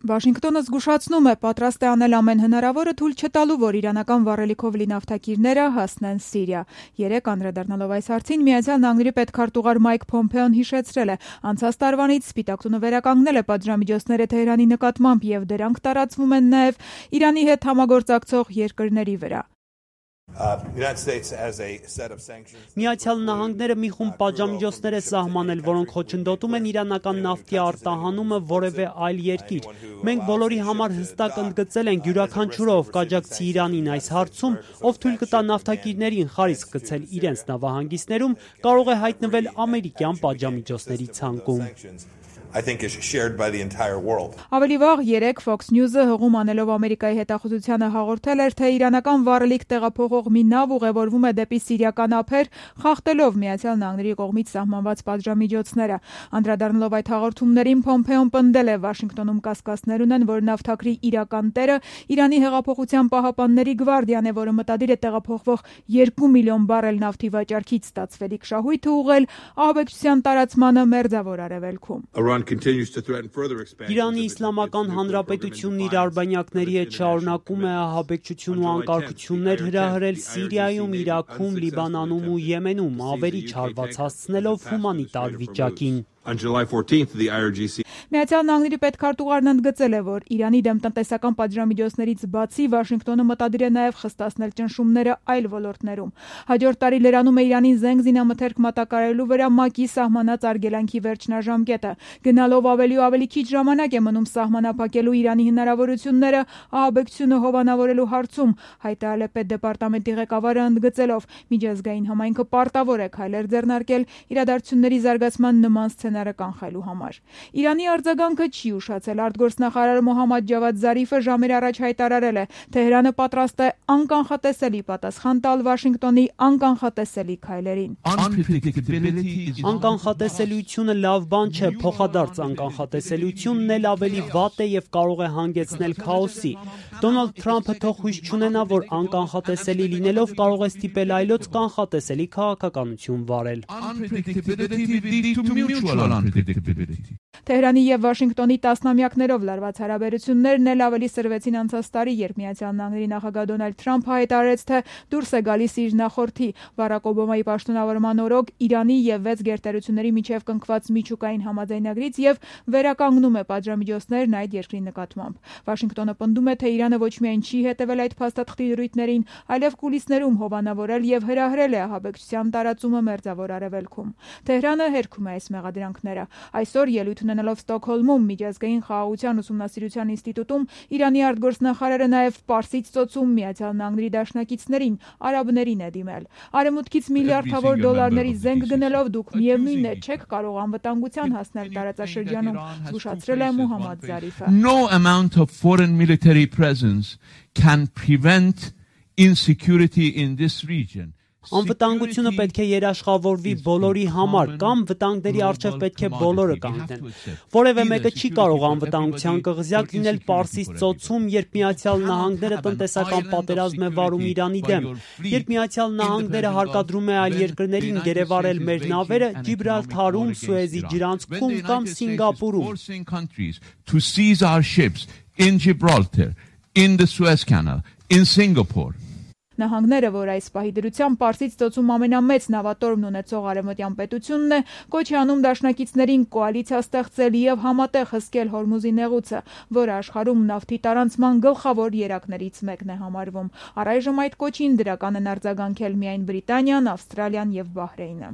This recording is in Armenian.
Վաշինգտոնը զգուշացնում է, պատրաստ է անել ամեն հնարավորը թույլ չտալու, որ իրանական վառելիքով լի նավթակիրները հասնեն Սիրիա։ Երեկ անդրադառնալով այս հարցին, Միացյալ Նահանգների պետքարտուղար Մայք Փոմփեոն հիշեցրել է, անցած տարվանից Սպիտակ տունը վերականգնել է պատժամիջոցները Թեհրանի նկատմամբ եւ դրանք տարածվում են նաեւ Իրանի հետ համագործակցող երկրների վրա։ Միացյալ Նահանգները մի խումբ պատժամիջոցներ է սահմանել, որոնք խոչընդոտում են իրանական նավթի արտահանումը որևէ այլ երկիր։ Մենք բոլորի համար հստակ ընդգծել ենք յուրաքանչյուրը, ով կաջակցի Իրանին այս հարցում, ով թույլ կտա նավթակիրներին խարիսկ գցել իրենց նավահանգիստներում, կարող է հայտնվել ամերիկյան պատժամիջոցների ցանկում։ Ավելի վաղ երեկ Fox News-ը հղում անելով Ամերիկայի հետախուզությանը հաղորդել էր, թե իրանական վառելիք տեղափոխող մի նավ ուղևորվում է դեպի սիրիական ափեր, խախտելով Միացյալ Նահանգների կողմից սահմանված պատժամիջոցները։ Անդրադառնալով այդ հաղորդումներին, Փոմփեոն պնդել է, Վաշինգտոնում կասկածներ ունեն, որ նավթաքրի իրական տերը Իրանի հեղափոխության պահապանների գվարդիան է, որը մտադիր է տեղափոխվող 2 միլիոն բարել նավթի վաճառքից ստացվելիք շահույթը ուղղել ահաբեկչության տարածմանը Մերձավոր Արևելքում։ Իրանի Իսլամական Հանրապետությունն իր արբանյակների հետ շարունակում է ահաբեկչություն ու անկարգություններ հրահրել Սիրիայում, Իրաքում, Լիբանանում ու Եմենում, ավերիչ հարված հասցնելով հումանիտար վիճակին։ Միացյալ Նահանգների պետքարտուղարն ընդգծել է, որ Իրանի դեմ տնտեսական պատժամիջոցներից բացի Վաշինգտոնը մտադիր է նաև խստացնել ճնշումները այլ ոլորտներում։ Հաջորդ տարի լրանում է Իրանին զենք զինամթերք մատակարարելու վրա ՄԱԿ-ի սահմանած արգելանքի վերջնաժամկետը։ Գնալով ավելի ու ավելի քիչ ժամանակ է մնում սահմանափակելու Իրանի հնարավորությունները ահաբեկչությունը հովանավորելու հարցում, հայտարարել է պետդեպարտամենտի ղեկավարը ընդգծելով, միջազգային համայնքը պարտավոր է քայլեր ձեռնարկել իրադարձությունների զարգացման նման սցենարը կանխելու համար։ Իրանի արձագանքը չի ուշացել։ Արտգործնախարար Մոհամմադ Ջավադ Զարիֆը ժամեր առաջ հայտարարել է, Թեհրանը պատրաստ է անկանխատեսելի պատասխան տալ Վաշինգտոնի անկանխատեսելի քայլերին։ Անկանխատեսելիությունը լավ բան չէ, փոխադարձ անկանխատեսելիությունն էլ ավելի վատ է եւ կարող է հանգեցնել քաոսի։ Դոնալդ Թրամփը թող հույս չունենա, որ անկանխատեսելի լինելով կարող է ստիպել այլոց կանխատեսելի քաղաքականություն վարել։ Թեհրանի եւ Վաշինգտոնի տասնամյակներով լարված հարաբերություններն էլ ավելի սրվեցին անցած տարի, երբ Միացյալ Նահանգների նախագահ Դոնալդ Թրամփը հայտարարեց, թե դուրս է գալիս իր նախորդի Բարակ Օբամայի պաշտոնավարման օրոք Իրանի եւ 6 գերտերությունների միջև կնքված միջուկային համաձայնագրից եւ վերականգնում է պատժամիջոցներն այդ երկրի նկատմամբ։ Վաշինգտոնը պնդում է, թե Իրանը ոչ միայն չի հետևել այդ փաստաթղթի դրույթներին, այլև կուլիսներում հովանավորել եւ հրահրել է ահաբեկչության տարածումը Մերձավոր Արևելքում։ Թեհրանը հերքում է այս մեղադրանքները։ Այսօր ելույթ ունենալով Ստոկհոլմում Միջազգային խաղաղության ուսումնասիրության ինստիտուտում Իրանի արտգործնախարարը նաև Պարսից ծոցում Միացյալ Նահանգների դաշնակիցներին, արաբներին է դիմել։ Արևմուտքից միլիարդավոր դոլարների զենք գնելով դուք միևնույն է չեք կարող անվտանգության հասնել տարածաշրջանում, զգուշացրել է Մոհամմադ Զարիֆը։ No amount of foreign military presence can prevent insecurity in this region. Անվտանգությունը պետք է երաշխավորվի բոլորի համար, կամ վտանգների առջև պետք է բոլորը կանգնեն։ Որևէ մեկը չի կարող անվտանգության կղզյակ լինել Պարսից ծոցում, երբ Միացյալ Նահանգները տնտեսական պատերազմ է վարում Իրանի դեմ, երբ Միացյալ Նահանգները հարկադրում է այլ երկրներին գերեվարել մեր նավերը Ջիբրալթարում, Սուեզի ջրանցքում կամ Սինգապուրում։ To seize our ships in Gibraltar, in the Suez Canal, in Singapore. Նահանգները, որ այս պահի դրությամբ Պարսից ծոցում ամենամեծ նավատորմն ունեցող արևմտյան պետությունն է, կոչ է անում դաշնակիցներին կոալիցիա ստեղծել եւ համատեղ հսկել Հորմուզի նեղուցը, որը աշխարհում նավթի տարանցման գլխավոր երակներից մեկն է համարվում։ Առայժմ այդ կոչին դրական են արձագանքել միայն Բրիտանիան, Ավստրալիան եւ Բահրեյնը։